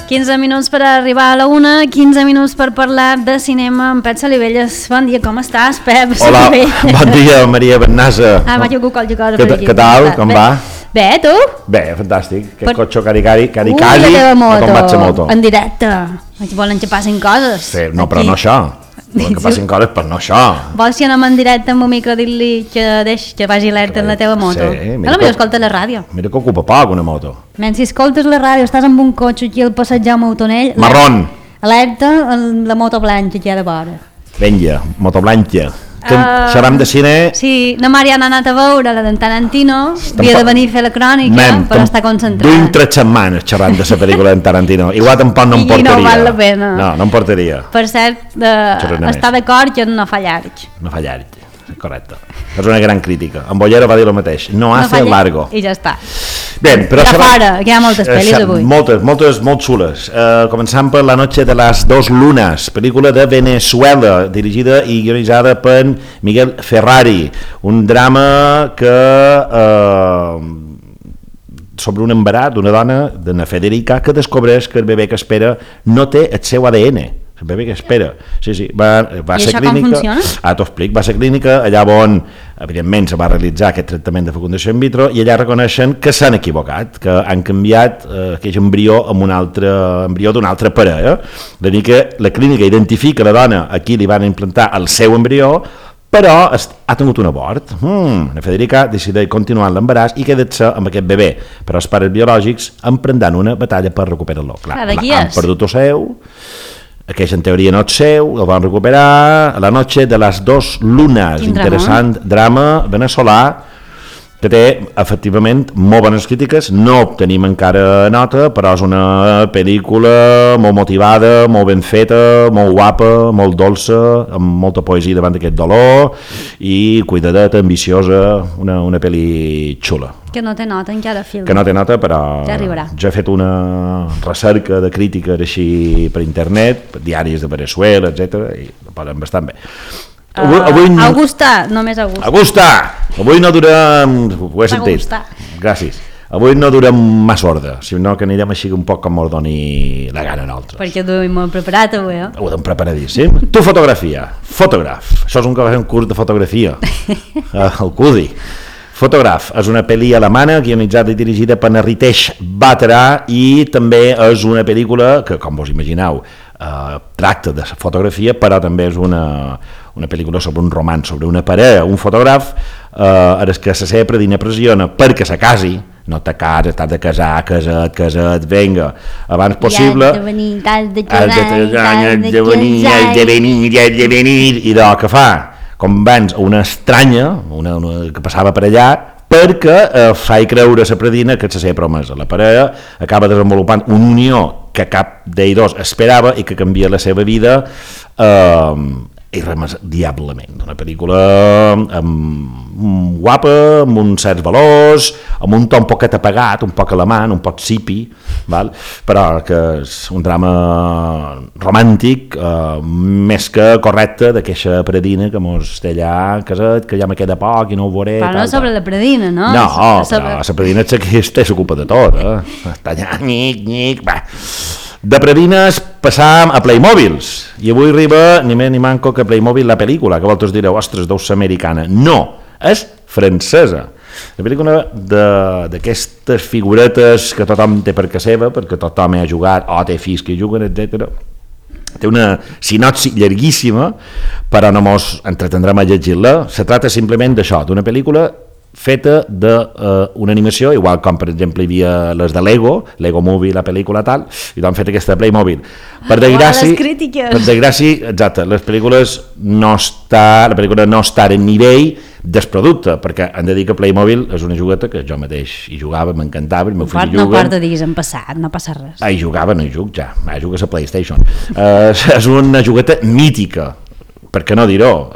15 minuts per arribar a la 1, 15 minuts per parlar de cinema amb Pep Salivelles. Bon dia, com estàs, Pep? Hola, bon dia, Maria Bernasa. Vaig a qualque cosa per aquí. Què tal, com va? Bé, tu? Bé, fantàstic. Aquest cotxe cari-cari, la teva moto. En directe. Volen que passin coses. Sí, no, però no això. Volen que passin coses, però no això. Vols si anem en directe amb un micro dir-li que vagi alerta en la teva moto? Sí, mira. Potser escolta la ràdio. Mira que ocupa poc una moto. Si escoltes la ràdio, estàs amb un cotxe aquí al passeig Jaume Autonell. Marrón. Alerta en la moto blanca que hi ha de vora. Vinga, moto blanca. Xerram de cine. Sí, la Mariana ha anat a veure la d'en Tarantino, havia de venir a fer la crònica, però està concentrat. Duim 3 setmanes xerrant de la pel·lícula d'en Tarantino, igual tampoc no em portaria. I no val la pena. No em portaria. Per cert, està d'acord que no fa llarg. No fa llarg, correcte. És una gran crítica. En Bollero va dir el mateix, no hace largo. I ja està. Bé, però fora, que hi ha moltes pel·lis avui. Moltes, molt xules. Començant per La noche de las dos lunas, pel·lícula de Venezuela, dirigida i guionitzada per Miguel Ferrari. Un drama que sobre un embarat d'una dona, d'una Federica, que descobreix que el bebè que espera no té el seu ADN. El bebè que espera. Sí, va ser clínica. I això com funciona? T'ho explic. Va ser clínica, allà on, evidentment, se va realitzar aquest tractament de fecundació in vitro i allà reconeixen que s'han equivocat, que han canviat aquell embrió amb un altre embrió d'una altra parella. La clínica identifica la dona a qui li van implantar el seu embrió, però ha tingut un abort. La Federica decideix continuar l'embaràs i quedar-se amb aquest bebè, però els pares biològics emprendran una batalla per recuperar-lo. Han perdut el seu, aquell en teoria no és seu, el van recuperar. La noche de las dos lunas, interessant drama veneçolà que té efectivament molt bones crítiques, no obtenim encara nota, però és una pel·lícula molt motivada, molt ben feta, molt guapa, molt dolça, amb molta poesia davant d'aquest dolor i cuidadeta, ambiciosa, una pel·li xula. Que no té nota encara, film. Que no té nota, però ja arribarà. Jo he fet una recerca de crítica així per internet, per diaris de Venezuela, etc. i ho poden bastant bé. Augusta, només Augusta. Augusta! Avui no durem... Ho he sentit. Gràcies. Avui no durem massa ordre, sinó que anirem així un poc com ens doni la gana a nosaltres. Perquè ho hem preparat avui, eh? Ho hem preparadíssim. Tu fotografia, fotògraf. Això és un que va fer un curs de fotografia. El CUDI. Fotògraf és una pel·li alemana guionitzada i dirigida per Ritesh Batra i també és una pel·lícula que, com vos imagineu, tracta de fotografia, però també és una pel·lícula sobre un roman, sobre una parella, un fotògraf que se sempre dina pressiona perquè se casi, no te cases, t'has de casar, casat, venga, abans possible, has de venir, i de què fa? Convenç una estranya, una que passava per allà, perquè fa creure a la predina que és la seva promesa. La parella acaba desenvolupant una unió que cap d'ells dos esperava i que canvia la seva vida irremediablement. Una pel·lícula guapa, amb uns certs valors, amb un to un poquet apagat, un poc alemany, un poc sipi, val? Però que és un drama romàntic més que correcte d'aquesta predina que mos té allà casat, que ja me queda poc i no ho veuré. Però no sobre la predina, no? No, però la predina és que s'ocupa de tot, està allà, nyic, va. De predines passàvem a Playmobils i avui arriba ni més ni manco que Playmobil la pel·lícula, que vosaltres direu, ostres, deu ser americana. No, és francesa. La pel·lícula d'aquestes figuretes que tothom té per casa seva, perquè tothom hi ha jugat o té fills que hi juguen, etc. Té una sinopsi llarguíssima, però no mos entretendrem a llegir-la. Se trata simplement d'això, d'una pel·lícula feta d'una animació, igual com per exemple hi havia les de Lego Movie, la pel·lícula tal, i l'han fet aquesta de Playmobil. Per desgràcia, exacte, la pel·lícula no està en nivell del producte, perquè han de dir que Playmobil és una jugueta que jo mateix hi jugava, m'encantava, el meu fill hi juga. No porta digues en passat, no passa res. Hi jugava, no hi jugo ja, jugo a la PlayStation. És una jugueta mítica, per què no dir-ho,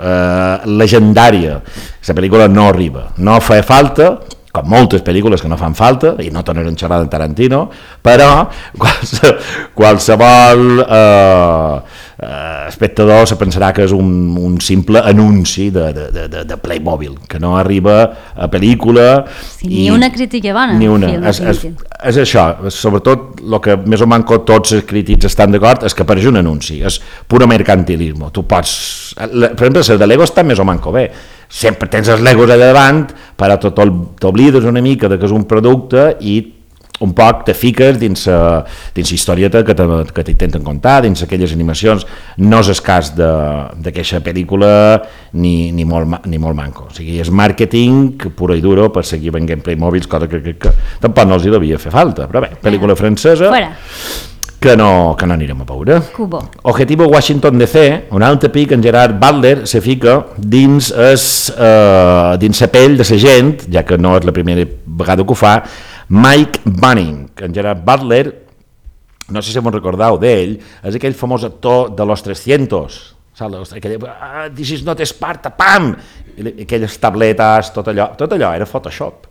legendària. La pel·lícula no arriba, no fa falta, com moltes pel·lícules que no fan falta, i no tornarem a xerrar de Tarantino, però qualsevol espectador se pensarà que és un simple anunci de Playmobil, que no arriba a pel·lícula. Sí, ni una crítica bona. Ni una. És això, sobretot el que més o manco tots els crítics estan d'acord és que apareix un anunci, és puro mercantilisme. Tu pots, per exemple, el de Lego està més o manco bé, sempre tens els Legos allà davant, però t'oblides una mica que és un producte i un poc te fiques dins la historieta que t'intenten contar, dins aquelles animacions. No és el cas d'aquesta pel·lícula ni molt manco. O sigui, és màrqueting puro i duro per seguir venent Playmobils, cosa que tampoc no els hi devia fer falta, però bé, pel·lícula francesa que no anirem a veure. Cubo. Objetivo Washington DC, un altre pic, en Gerard Butler se fica dins la pell de la gent, ja que no és la primera vegada que ho fa, Mike Bunning. En Gerard Butler, no sé si m'ho recordeu d'ell, és aquell famós actor de Los 300, This is not Sparta, pam! Aquelles tabletes, tot allò era Photoshop,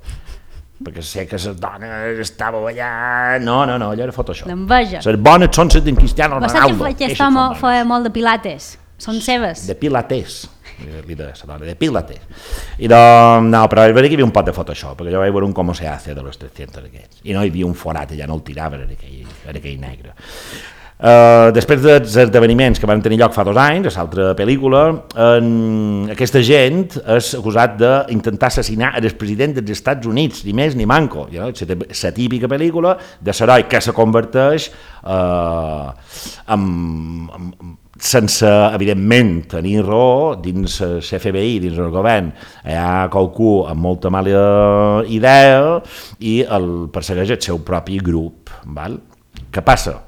perquè sé que les dones estàveu allà... No, allò era Photoshop. L'enveja. Les bones són les d'en Cristiano Ronaldo. Aquest home feia molt de pilates, són seves. De pilates. De pilates. I no, però és veritat que hi havia un pot de Photoshop, perquè jo vaig veure un com se hace de los 300 aquests, i no hi havia un forat, ja no el tirava, era aquell negre. Després dels esdeveniments que van tenir lloc fa 2 anys, a l'altra pel·lícula, aquesta gent és acusat d'intentar assassinar el president dels Estats Units, ni més ni manco. La típica pel·lícula de l'heroi que se converteix sense, evidentment, tenir raó dins l'FBI, dins el govern. Hi ha qualcú amb molta mala idea i el persegueix el seu propi grup. Val? Què passa?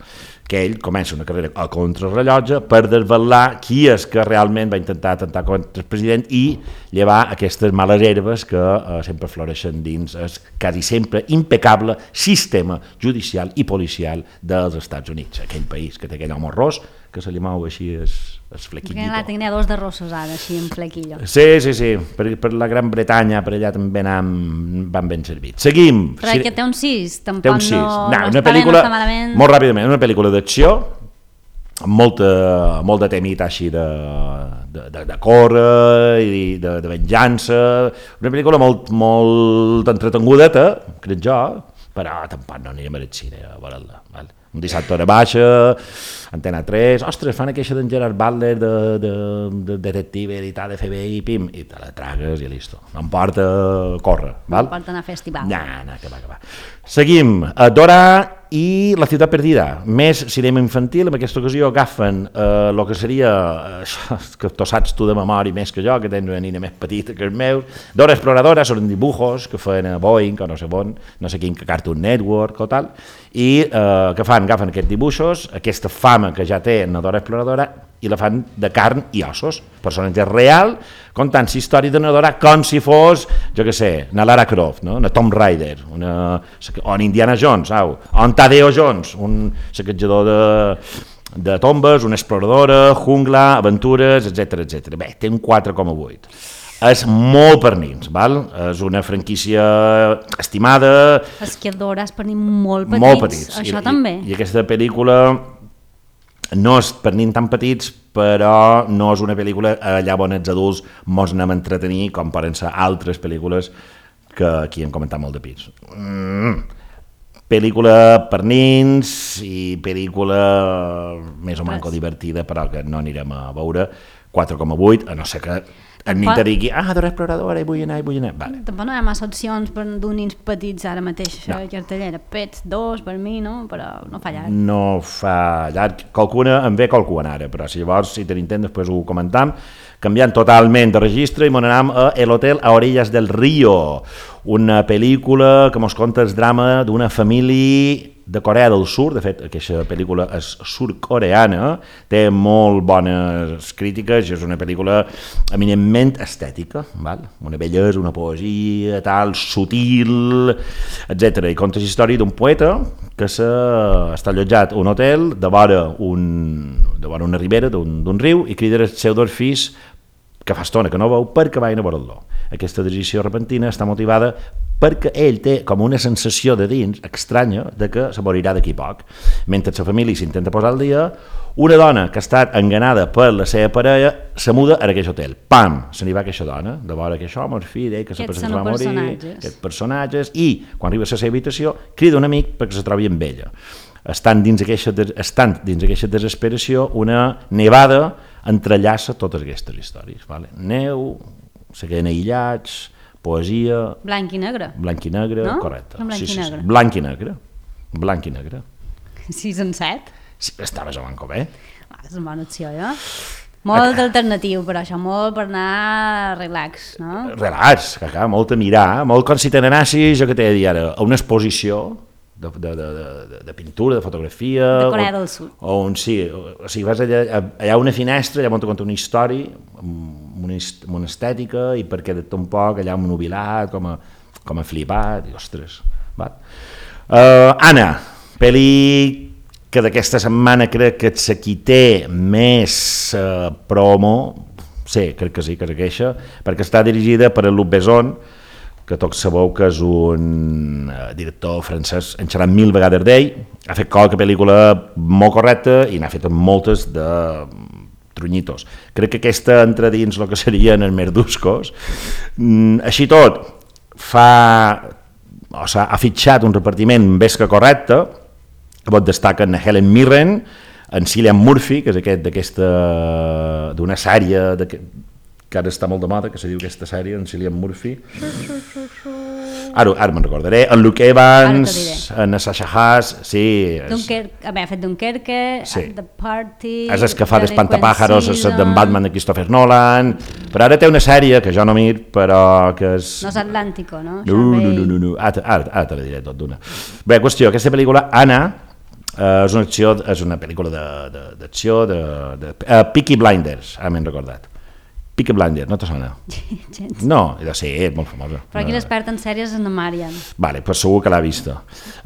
Que ell comença una carrera a contrarrellotge per desvelar qui és que realment va intentar atemptar contra el president i llevar aquestes males herbes que sempre floreixen dins el quasi sempre impecable sistema judicial i policial dels Estats Units, aquell país que té aquell home ros que se li mou així el flequillo. Perquè tenia 2 de rossos ara, així en flequillo. Sí, per la Gran Bretanya, per allà també van ben servits. Seguim. Però que té un 6, tampoc no una pel·lícula, molt ràpidament, una pel·lícula d'acció, amb molt de temita així de córrer i de venjança, una pel·lícula molt entretenguda, crec jo, però tampoc no anirem al cine a veure-la. Un dissabte hora baixa, Antena 3, ostres, fan aquella d'en Gerard Butler de detective i tal, de FBI, pim, i te la tragues i listo. No em porta a córrer, val? No em porta a anar a festival. No, que va. Seguim. Dora i La ciutat perdida. Més cinema infantil, en aquesta ocasió agafen el que seria, que tu saps tu de memòria més que jo, que tens una nina més petita que els meus, Dora Exploradora, són dibujos que feien a Boeing o no sé quin Cartoon Network o tal, i què fan? Agafen aquests dibuixos, aquesta fama que ja té en Dora Exploradora, i la fan de carn i ossos, personatge real, contant la història de Dora com si fos, jo què sé, una Lara Croft, no? Una Tomb Raider, o en Indiana Jones, o en Tadeo Jones, un saquejador de tombes, una exploradora, jungla, aventures, etc. Bé, té un 4,8. És molt per nins, val? És una franquícia estimada. És que Dora és per nins molt petits. Això també. I aquesta pel·lícula no és per nins tan petits, però no és una pel·lícula allà on els adults mos anem a entretenir, com poden ser altres pel·lícules que aquí hem comentat molt de pits. Pel·lícula per nins i pel·lícula més o manco divertida, però que no anirem a veure. 4,8, a no ser que en nit te digui, Dora Exploradora, hi vull anar. Vale. Tampoc no hi ha massa opcions per d'un nins petits ara mateix, no. Cartellera. Pets 2 per mi, no? Però no fa llarg. No fa llarg. Qualcuna en ve qualcuna ara, però si llavors, si tenim temps, després ho comentam. Canviant totalment de registre i m'anam a El hotel a orillas del río, una pel·lícula que mos conta el drama d'una família de Corea del Sur. De fet, aquesta pel·lícula és sud-coreana, té molt bones crítiques, és una pel·lícula eminentment estètica, val? Una bellesa, una poesia, tal, sutil, etc. I conta la història d'un poeta que està allotjat a un hotel de vora una ribera d'un riu i crida els seus 2 fills que fa estona que no veu perquè vagin a veure'l. Aquesta decisió repentina està motivada perquè ell té com una sensació de dins estranya de que se morirà d'aquí poc. Mentre la família s'intenta posar al dia, una dona que ha estat enganada per la seva parella se muda a aquell hotel. Pam! Se n'hi va aquesta dona, de veure que això, el fill, que se va morir, aquests personatges, i quan arriba a la seva habitació crida un amic perquè se trobi amb ella. Estant dins d'aquesta desesperació, una nevada entrellaça totes aquestes històries. Vale? Neu, se queden aïllats, poesia... Blanc i negre. Blanc i negre, no? Correcte. Blanc i negre. Blanc i negre. Blanc i negre. 6 en 7. Sí, estava jugant com bé. És una bona opció, Molt alternatiu, però això, molt per anar relax, no? Relax, molt a mirar, molt com si te n'anassis, jo que t'he de dir ara, a una exposició de pintura, de fotografia... De Corea del Sud. Sí, o sigui, vas allà a una finestra, allà on te conta una història, amb una estètica, i perquè de tot un poc allà un nubilat, com a flipat, i ostres... Anna, pel·li que d'aquesta setmana crec que és qui té més promo, sí, crec que sí, que és aquesta, perquè està dirigida per Luc Besson, que tots sabeu que és un director francès, en xerrat 1000 vegades d'ell, ha fet qualque pel·lícula molt correcta i n'ha fet moltes de trunyitos. Crec que aquesta entra dins el que serien els merduscos. Així tot, ha fitxat un repartiment més que correcte, que destaquen Helen Mirren, en Cillian Murphy, que és d'una sèrie que ara està molt de moda, que se diu aquesta sèrie, en Cillian Murphy. Ara me'n recordaré. En Luke Evans, en Sasha Haas, sí. Ha fet Dunkerque, The Party... És el que fa d'Espantapàjaros, d'en Batman de Christopher Nolan, però ara té una sèrie que jo no mir, però que és... No és Atlàntico, no? No. Ara te la diré tot d'una. Bé, qüestió, aquesta pel·lícula, Anna, és una pel·lícula d'acció, Peaky Blinders, ara m'he recordat. Peaky Blinders, no te sona? No, sí, és molt famosa. Però aquí l'expert en sèries és en Marian. Vale, pues segur que l'ha vista.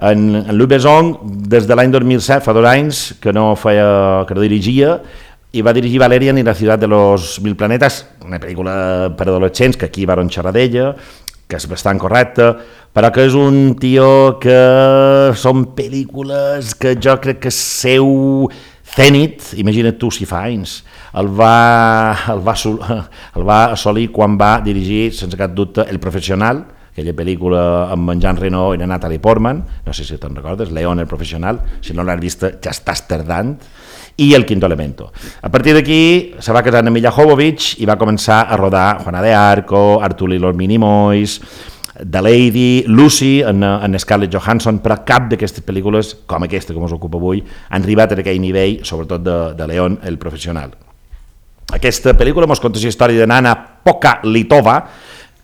En Luc Besson, des de l'any 2007, fa 2 anys, que no dirigia, i va dirigir Valerian i la ciutat de los 1000 planetes, una pel·lícula per adolescents, que aquí van xerrar d'ella, que és bastant correcta, però que és un tio que són pel·lícules que jo crec que seu Zenith, imagina't tu si fa anys, el va assolir quan va dirigir, sense cap dubte, El Professional, aquella pel·lícula amb en Jean Reno i la Natalie Portman, no sé si te'n recordes, León, El Professional, si no l'has vist ja estàs tardant, i El Quinto Elemento. A partir d'aquí se va casar amb Milla Jovovich i va començar a rodar Juana de Arco, Arthur y los Minimoys, The Lady, Lucy, en Scarlett Johansson, però cap d'aquestes pel·lícules, com aquesta que ens ocupa avui, han arribat a aquell nivell, sobretot de León, El Professional. Aquesta pel·lícula ens conta la història de Nana Pokaletova,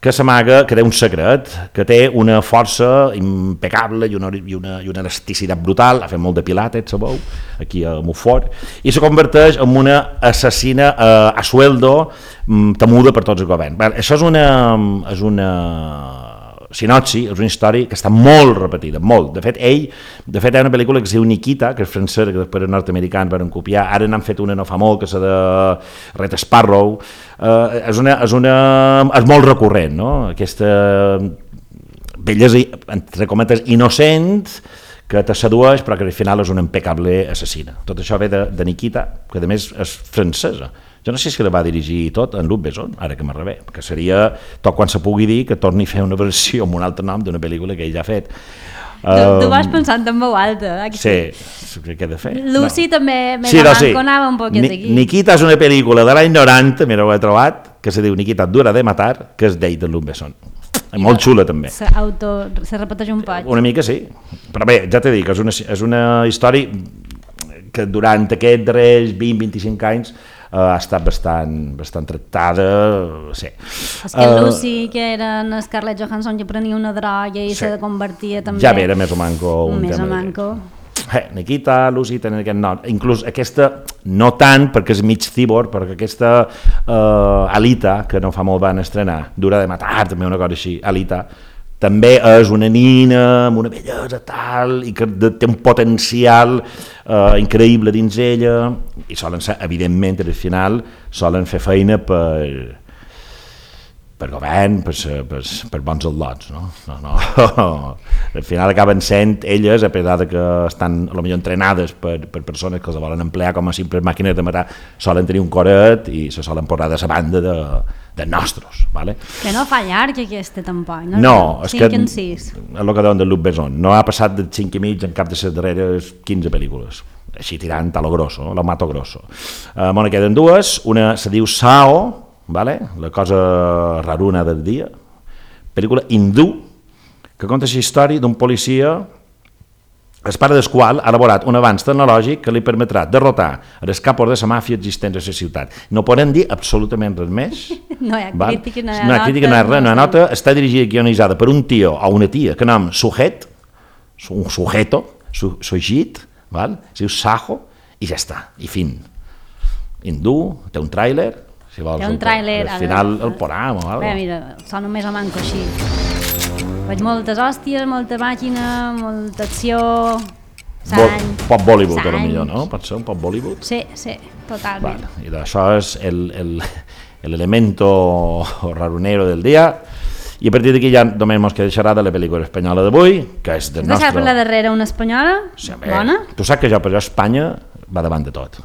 que s'amaga, que té un secret, que té una força impecable i una elasticitat brutal, ha fet molt de pilates, sabeu, aquí a Montfort, i se converteix en una assassina a sueldo temuda per tots els governs. Això és una sinopsi, és una història que està molt repetida, molt. De fet, hi ha una pel·lícula que es diu Nikita, que és francesa, que després els nord-americans van copiar, ara n'han fet una no fa molt, que és de Red Sparrow, és molt recurrent, no? Aquesta bellesa, entre cometes, innocent, que te sedueix, però que al final és una impecable assassina. Tot això ve de Nikita, que a més és francesa. Jo no sé si la va dirigir tot en Luc Besson, ara que m'arribé, que seria tot quan se pugui dir que torni a fer una versió amb un altre nom d'una pel·lícula que ell ja ha fet. Tu vas pensant en veu alta. Sí, crec que he de fer. Lucy també anava un poquet aquí. Nikita és una pel·lícula de l'any 90, mira, ho he trobat, que se diu Nikita dura de matar, que és d'ell, de Luc Besson. Molt xula també. Se repeteix un poc. Una mica sí, però bé, ja t'he dit que és una història que durant aquests darrers 20-25 anys ha estat bastant tractada, sí. És que Lucy, que era en Scarlett Johansson, que prenia una droga i se convertia també... Ja era més o manco un més tema. Més o manco. Nikita, Lucy, tenen aquest nom. Inclús aquesta, no tant, perquè és mig cíborg, perquè aquesta Alita, que no fa molt van estrenar, Dura de matar, també una cosa així, Alita, també és una nina amb una bellesa tal i que té un potencial increïble dins ella i solen ser, evidentment, al final solen fer feina per govern, per bons al·lots, no? No. Al final acaben sent elles, a pesar de que estan potser entrenades per persones que els volen emplear com a simples màquines de matar, solen tenir un coret i se solen posar de la banda de nostres, ¿vale? Que no fa llarg aquesta tampoc, no? No, és que 5 en 6. és el que deuen de Luc Besson, no ha passat de 5 i mig en cap de les darreres 15 pel·lícules, així tirant a lo grosso, lo mato grosso. Bueno, queden dues, una se diu Sao, ¿vale? La cosa raruna del dia, pel·lícula hindú que conta la història d'un policia el pare del qual ha elaborat un avanç tecnològic que li permetrà derrotar els capos de la màfia existents a la ciutat. No podem dir absolutament res més. No hi ha crítica, no hi ha crítica, no hi ha res, no hi ha nota. Està dirigida i guionitzada per un tio o una tia que nom Sujet, un sujeto, Sujit, val? Es diu Saho, i ja està, i fin. Hindú, té un tràiler, si vols, té un tràiler, al final el poram o alguna cosa. Mira, sona més o manco així. Veig moltes hòsties, molta màquina, molta acció, sang... Pop Bollywood, a lo millor, no? Pot ser un pop Bollywood? Sí, totalment. Vale. I això és l'elemento rarunero del dia. I a partir d'aquí ja només ens queda xerrar de la pel·lícula espanyola d'avui, que és del nostre... Has per la darrera una espanyola? Sí, bona? Tu saps que jo, per jo, Espanya va davant de tot.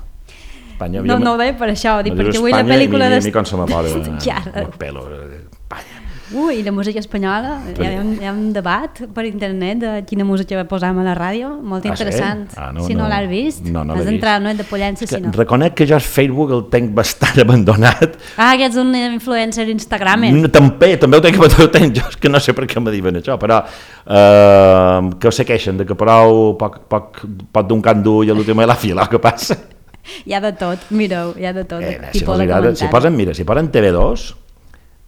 Espanya, no ho deia per això, dic, perquè avui la pel·lícula... A mi com se m'apora ja. el pelo, Espanya. I la música espanyola, hi ha un debat per internet de quina música posam a la ràdio, molt interessant. Sí? Si no l'has vist, has d'entrar, no és de Pollença, sinó... Reconec que jo el Facebook el tenc bastant abandonat. Que ets un influencer Instagramer. També ho tenc, jo és que no sé per què me diuen això, però que ho segueixen, de que prou pot d'un cant dur i a l'últim de la fila, què passa? Hi ha de tot, mireu, hi ha de tot. Si posen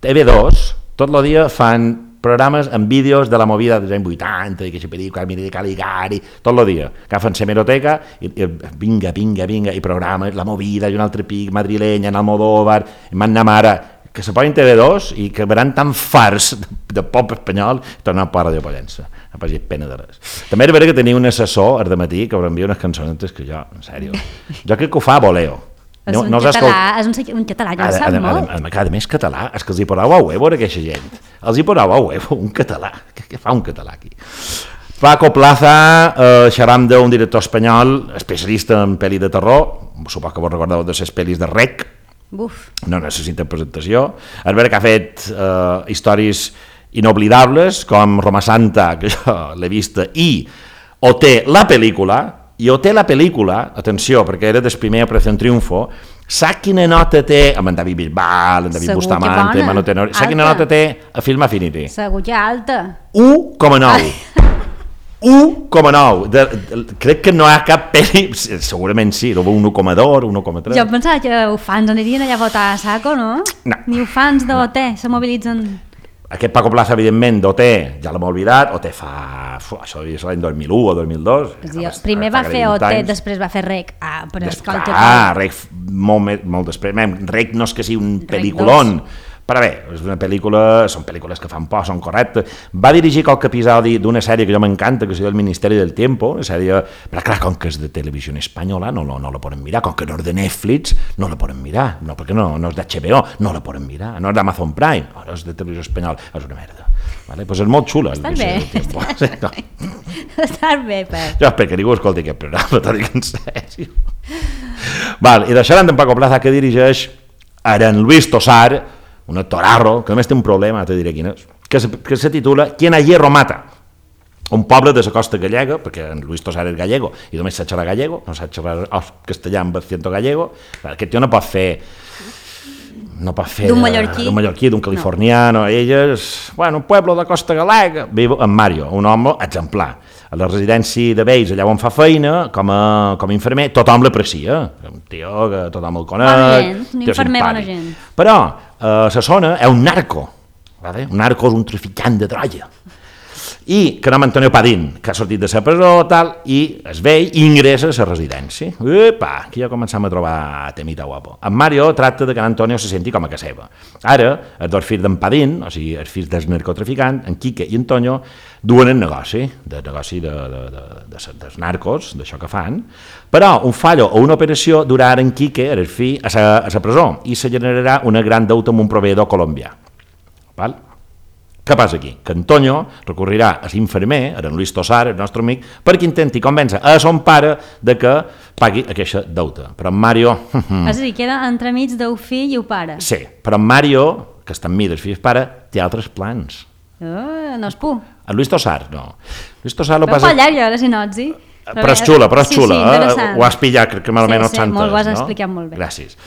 TV2, tot el dia fan programes amb vídeos de la movida dels anys 80, i que se pel·lícula, mira de Caligari, tot el dia. Agafen l'hemeroteca i vinga, i programes, la movida, i un altre pic, madrilenya, en Almodóvar, en Manna Mara, que se posen TV2 i que veran tan farts de pop espanyol tornant a Ràdio Pollença. No pagis pena de res. També és veritat que tenia un assessor al dematí que m'envia unes cançonetes que jo, en sèrio, jo crec que ho fa a voleo. És un català, jo sap molt. A més, català, és que els hi poseu a huevo a aquesta gent. Els hi poseu a huevo, un català. Què fa un català aquí? Paco Plaza, xerram d'un director espanyol, especialista en pel·li de terror, supos que vos recordeu de les pel·lis de Rec, no necessita presentació. És vera que ha fet històries inoblidables, com Roma Santa, que jo l'he vista, i OT, la pel·lícula, i OT la pel·lícula, atenció, perquè era del primer Operació Triunfo, sap quina nota té, amb en David Bisbal, en David Bustamante, Manu Tenor, sap quina nota té a Film Affinity? Segur que alta. 1,9. 1,9. Crec que no hi ha cap pel·li, segurament sí, 1,2, 1,3. Jo pensava que els fans anirien allà a votar a saco, no? No. Ni els fans d'OT se mobilitzen... Aquest Paco Plaza, evidentment, d'OT, ja l'hem oblidat, OT fa... Això devia ser l'any 2001 o 2002. Primer va fer OT, després va fer Rec. Rec molt després. Rec no és que sigui un pel·lículon, però bé, són pel·lícules que fan por, són correctes. Va dirigir qualque episodi d'una sèrie que jo m'encanta, que es diu El Ministeri del Tiempo, una sèrie, però clar, com que és de televisió espanyola, no la poden mirar, com que no és de Netflix, no la poden mirar, no, perquè no és d'HBO, no la poden mirar, no és d'Amazon Prime, no és de televisió espanyola, és una merda. Vale? Pues és molt xula. Estàs bé. Estàs bé, Pep. Jo espero que ningú escolti aquest programa, t'ho dic en sèrio. I deixarem d'en Paco Plaza, que dirigeix ara en Luis Tosar, un actorarro, que només té un problema, te diré quin és, que se titula Quien a hierro mata, un poble de la costa gallega, perquè en Luis Tosar és gallego, i només sap xerrar gallego, no sap xerrar castellà amb accento gallego, aquest tio no pot fer d'un mallorquí, d'un californiano, ell és, un poble de costa galega, viu en Mario, un home exemplar. A la residència de Vells, allà on fa feina, com a infermer, tothom l'aprecia, un tio que tothom el coneix, bona gent, un infermer bona gent. Però la zona és un narco, un narco és un traficant de droga, i que nom Antonio Padín, que ha sortit de la presó, i es vell i ingressa a la residència. Aquí ja començam a trobar temita guapo. En Mario tracta que en Antonio se senti com a casa seva. Ara, els dos fills d'en Padín, o sigui, els fills del narcotraficant, en Quique i Antonio, duen el negoci dels narcos, d'això que fan, però un fallo o una operació durarà en Quique, el fill, a la presó, i se generarà una gran deuta amb un proveïdor colombià. val? Què passa aquí? Que Antonio recorrirà a l'infermer, a en Luis Tosar, el nostre amic, perquè intenti convèncer a son pare de que pagui aquesta deuta. Però en Mario... És a dir, queda entremig del fill i el pare. Sí, però en Mario, que està enmig del fill i pare, té altres plans. No és por. En Luis Tosar, no. Luis Tosar lo Però passa... molt llarga, la sinopsi. Però és xula, Sí, interessant. Ho has pillat, crec que malament no et s'ha entès, ho has explicat molt bé. Gràcies.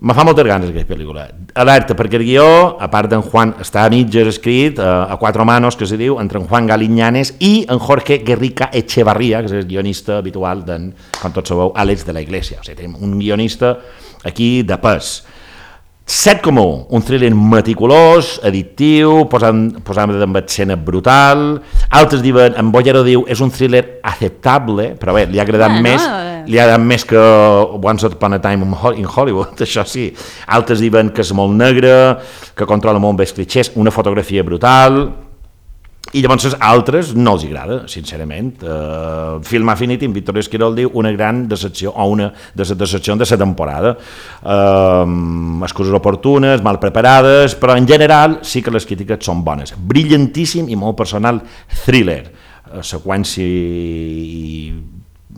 Me fa moltes ganes aquesta pel·lícula. Alerta, perquè el guió, a part d'en Juan, està a mitges escrit, a quatre manos, que se diu, entre en Juan Galiñanes i en Jorge Guerrica Echevarría, que és el guionista habitual d'en, com tots sabeu, Àlex de la Iglesia. O sigui, tenim un guionista aquí de pes. 7,1, un thriller meticulós, addictiu, posant amb escena brutal. Altres diuen, en Bollero diu, és un thriller acceptable, però bé, li ha agradat més que Once Upon a Time in Hollywood, això sí. Altres diuen que és molt negre, que controla molt bé els clichés, una fotografia brutal, i llavors altres no els agrada, sincerament. Film Affinity, en Víctor Esquirol diu una gran decepció, o una de les decepcions de la temporada. Excuses oportunes, mal preparades, però en general sí que les crítiques són bones. Brillantíssim i molt personal thriller. Seqüència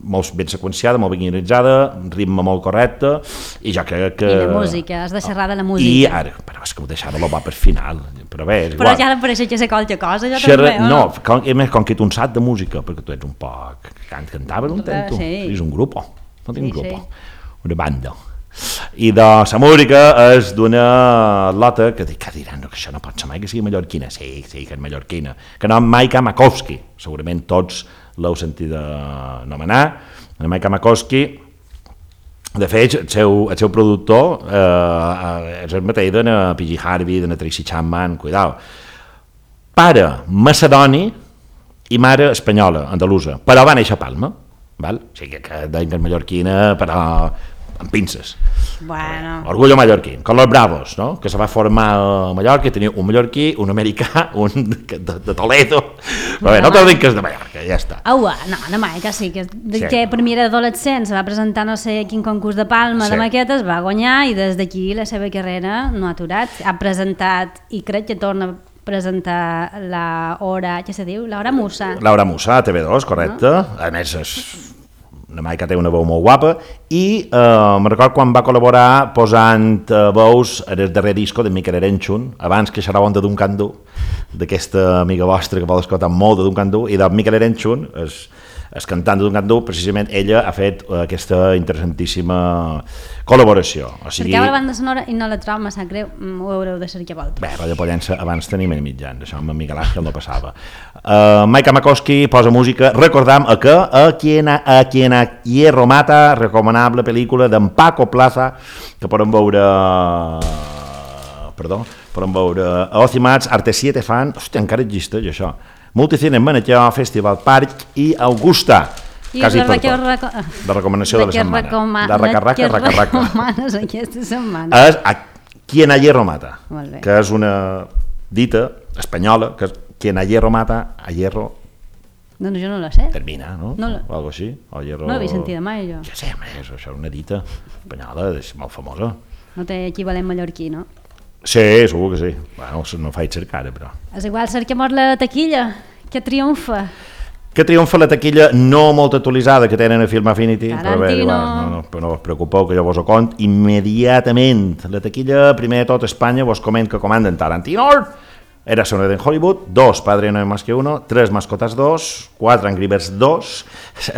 molt ben seqüenciada, molt ben guionitzada, ritme molt correcte, i jo crec que... I la música, has de xerrar de la música. I ara, però és que ho deixava-lo bo per final, però bé, és igual. Però ja no pareix que sé qualque cosa, jo també, o no? No, com que tu en saps de música, perquè tu ets un poc... Cantaves un temps, tu? Sí. És un grup, no tinc un grup, Sí. una banda. I de la música és d'una lota que diran que això no pot ser mai que sigui mallorquina. Sí, que és mallorquina. Que no, Maika Makowski, segurament tots l'heu sentit anomenar. Maika Makowski, de fet, el seu productor és el mateix de PG Harvey, de Tracy Chapman, cuidao. Pare macedoni i mare espanyola, andalusa, però va néixer a Palma, val? O sigui que deien que és mallorquina, però amb pinces. Bueno. Orgullo mallorquí, con los bravos, no? Que se va formar a Mallorca, tenia un mallorquí, un americà, un de Toledo, però bé, no te'l dic que és de Mallorca, ja està. No, mai, que sí, que per mi era adolescent, se va presentar no sé quin concurs de Palma de maquetes, va guanyar i des d'aquí la seva carrera no ha aturat. Ha presentat, i crec que torna a presentar l'Hora, què se diu? L'Hora Musa. L'Hora Musa, a TV2, correcte. A més, una Maica té una veu molt guapa i me'n recordo quan va col·laborar posant veus en el darrer disco de Miquel Erenchun, abans que xerraven de Duncan Du, d'aquesta amiga vostra que vol escoltar molt de Duncan Du, i de Miquel Erenchun, el cantant de Duncan Du, precisament ella ha fet aquesta interessantíssima col·laboració. O sigui, perquè la banda sonora i no la trobo, me sap greu, ho haureu de cercar vosaltres. Bé, Radio Pollença abans tenim en mitjans, això amb Miguel Ángel no passava. Maika Makowski posa música, recordam que a quien a Hierro Mata, recomanable pel·lícula d'en Paco Plaza, que podem veure a Ocimats, Arte 7 Fan, hòstia, encara existeix això, Multicine en Manetlló, Festival Parc i Augusta, quasi per tot. La recomanació de la setmana. La raca. Recomanes aquesta setmana? És a quien a Hierro Mata, Molt bé. que és una dita espanyola, que és quien a Hierro Mata, a Hierro Doncs jo no la sé. termina, no? No O algo així. O Hierro... No l'havia sentida mai, jo. Ja sé, això és una dita espanyola, és molt famosa. No té equivalent mallorquí, no? Sí, segur que sí. Bueno, no faig cercar, però... És igual, cerquem la taquilla, que triomfa. Que triomfa la taquilla no molt actualitzada que tenen a Film Affinity, però bé, Tarantino. igual, no us preocupeu que jo vos ho cont immediatament. La taquilla, primer de tot Espanya, vos coment que comanden Tarantino, Era Sonora en Hollywood, 2 Padre no hay más que uno, 3 Mascotas 2, 4 Angry Birds 2,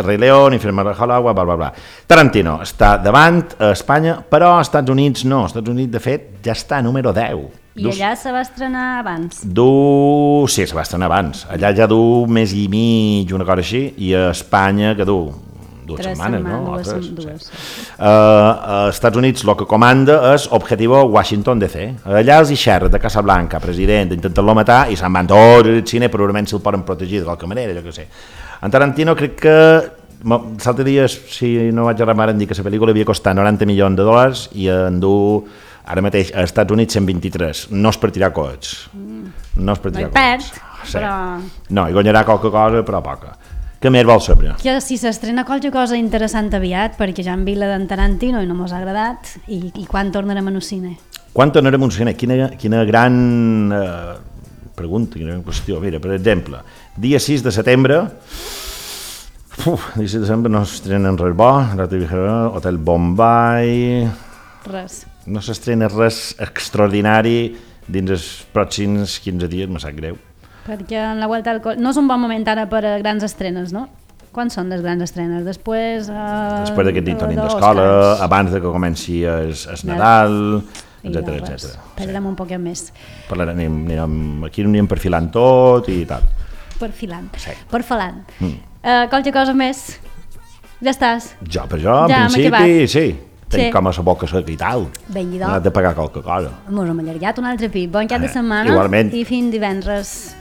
Rei León, Infierno de Hollywood, bla, bla, bla. Tarantino està davant a Espanya, però als Estats Units no. Als Estats Units, de fet, ja està a número 10. I allà se va estrenar abans? Sí, se va estrenar abans. Allà ja du mês i mig, una cosa així, i a Espanya que du 2 setmanes, no? Dues. Als Estats Units el que comanda és Objetivo Washington DC. Allà els hi xerra de Casablanca, president, intenten-lo matar i se'n van tots al cine, probablement se'l poden protegir de qualque manera, jo què sé. En Tarantino crec que l'altre dia, si no vaig errar, em dir que la pel·lícula havia costat $90 milions i en du ara mateix als Estats Units 123. No es per tirar coets. No es per tirar coets. Sí. Però... No, hi guanyarà qualque cosa, però poca. Què més vols saber? Que si s'estrena qualque cosa interessant aviat, perquè ja hem vist la d'en Tarantino i no mos ha agradat, i quan tornarem a un cine? Quan tornarem a un cine? Quina gran pregunta, quina gran qüestió. Mira, per exemple, dia 6 de setembre, dia 6 de setembre no s'estrenen res bo, Hotel Bombay... Res. No s'estrena res extraordinari dins els pròxims 15 dies, me sap greu. Perquè en la Vuelta al Col... No és un bon moment ara per a grans estrenes, no? Quan són les grans estrenes? Després d'aquest dit tornem d'escola, abans de que comenci el Nadal, etc. Parlarem un poquet més. Aquí anirem perfilant tot i tal. Perfilant. Qualque cosa més? Ja estàs? Per jo, en principi, sí. Tenc com a la boca seca i tal. Vinga, hem de pagar qualque cosa. Mos hem allargat un altre pip. Bon cap de setmana. Igualment. I fins divendres.